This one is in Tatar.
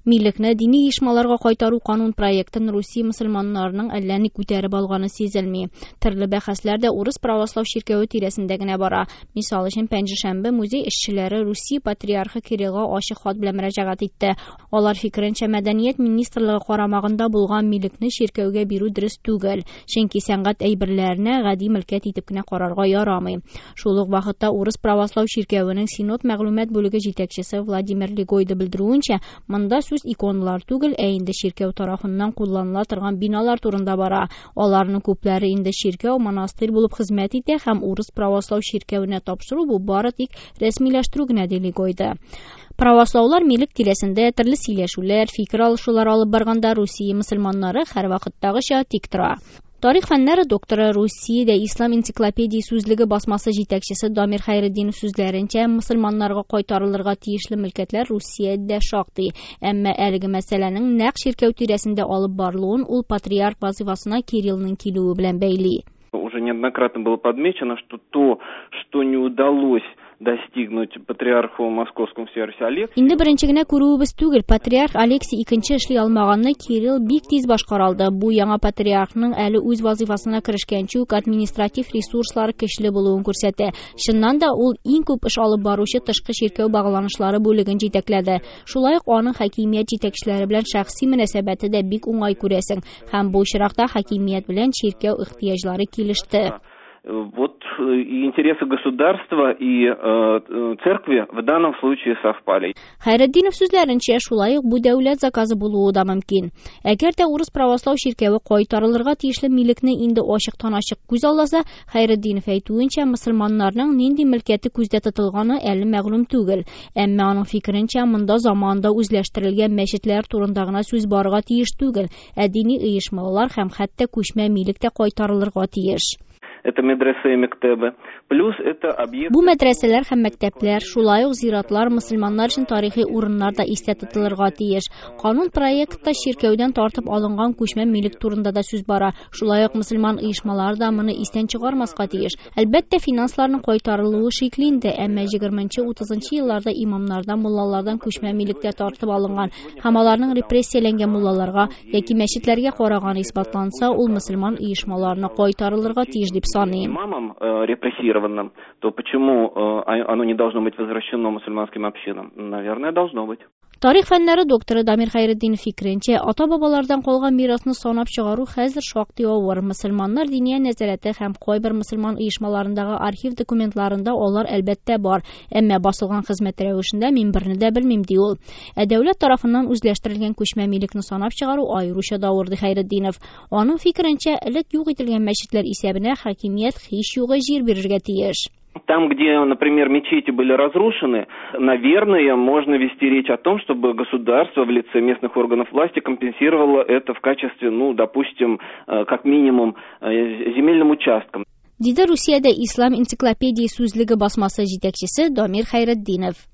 Милекне дини оешмаларга кайтару канун проектын Русия мөселманнарының әллә ни күтәреп алганы сизелми. Төрле бәхәсләр дә Урыс правослау чиркәве тирәсендә генә бара. Мисал өчен, пәнҗешәмбе музей эшчеләре Русия патриархы Кириллга ачык хат белән мөрәҗәгать итте. Алар фикеренчә, мәдәният министрлыгы карамагында булган милекне чиркәүгә бирү дөрес түгел, чөнки сәнгать әйберләренә гади мөлкәт итеп кенә карарга ярамый. Шул ук вакытта Урыс правослау чиркәвенең Синод мәгълүмат бүлеге җитәкчесе Владимир Легойда белдерүенчә, монда сүз иконалар түгел, ә инде чиркәү тарафыннан кулланыла торган биналар турында бара. Аларның күпләре инде чиркәү, монастырь булып хезмәт итә һәм Урыс правослау чиркәвенә тапшыру бу бары тик рәсмиләштерү генә, ди Легойда. Правослаулар милек тирәсендә төрле сөйләшүләр, фикер алышулар алып барганда Русия мөселманнары һәрвакыттагыча тик тора. Тарих фәннәре докторы, Русиядә Ислам энциклопедия сүзлеге басмасы җитәкчесе Дамир Хәйретдинов сүзләренчә, мөселманнарга кайтарылырга тиешле мөлкәтләр Русиядә шактый. Әмма әлеге мәсьәләнең нәкъ чиркәү тирәсендә алып барылуын ул патриарх вазифасына Кириллның килүе белән бәйли. Уже неоднократно было подмечено, что то, что не удалось достигнуть патриарху Московскому всея Руси Алексию. Инде беренче генә күрүебез түгел, патриарх Алексий икенче эшли алмаганны Кирилл бик тиз башкара алды. Бу яңа патриархның әле үз вазифасына керешкәнче үк административ ресурслары көчле булуын күрсәтә. Чыннан да ул иң күп эш алып баручы тышкы чиркәү багланышлары бүлеген җитәкләде. Шулай ук аның хакимият җитәкчеләре белән шәхси мөнәсәбәте дә бик уңай күрәсең. Һәм бу очракта хакимият белән чиркәү ихтыяҗлары килеште. Вот и интересы государства, и церкви в данном случае совпали. Хәйретдинов сүзләренчә, шулай ук бу дәүләт заказы булуы да мөмкин. Әгәр дә Урыс правослау чиркәве кайтарылырга тиешле милекне инде ачыктан-ачык күз алласа, Хәйретдинов әйтүенчә, мөселманнарның нинди мөлкәте күздә тотылганы әле мәгълүм түгел. Әмма аның фикеренчә, монда заманында үзләштерелгән мәчетләр турында гына сүз барырга тиеш түгел, ә дини оешмалар һәм хәтта күчмә милек тә кайтарылырга тиеш. Это медресе и мектебы. Плюс это объекты... Бу мәдрәсәләр һәм мәктәпләр, шулай ук зиратлар, мөселманнар өчен тарихи урыннар да истә тотылырга тиеш. Канун проектта чиркәүдән тартып алынган күчмә милек турында да сүз бара. Шулай ук мөселман оешмалары да моны истән чыгармаска тиеш. Әлбәттә, финансларның кайтарылуы шикле инде, әмма 20-30 елларда имамнардан, муллалардан күчмә милектә тартып алынган һәм аларның репрессияләнгән муллаларга яки мәчетләргә караганы исбатланса, ул мөселман оешмаларына кайтарылырга тиеш дип саныйм. Имамам репрессированным, то почему оно не должно быть возвращено мусульманским общинам? Наверное, должно быть. Тарих фәннәре докторы Дамир Хәйретдинов фикеренчә, ата-бабалардан калган мирасны санап чыгару хәзер шактый авыр. Мөселманнар диния нәзарәте һәм кайбер мөселман оешмаларындагы архив документларында алар әлбәттә бар, әмма басылган хезмәт рәвешендә мин берне дә белмим, ди ул. Ә дәүләт тарафыннан үзләштерелгән күчмә милекне санап чыгару аеруча да авыр, ди Хәйретдинов. Аның фикеренчә, элек юк ителгән мәчетләр исәбенә хакимият һич югы җир бирергә тиеш. Там, где, например, мечети были разрушены, наверное, можно вести речь о том, чтобы государство в лице местных органов власти компенсировало это в качестве, допустим, как минимум, земельным участком. Диде Русиядә Ислам энциклопедия сүзлеге басмасы җитәкчесе Дамир Хәйретдинов.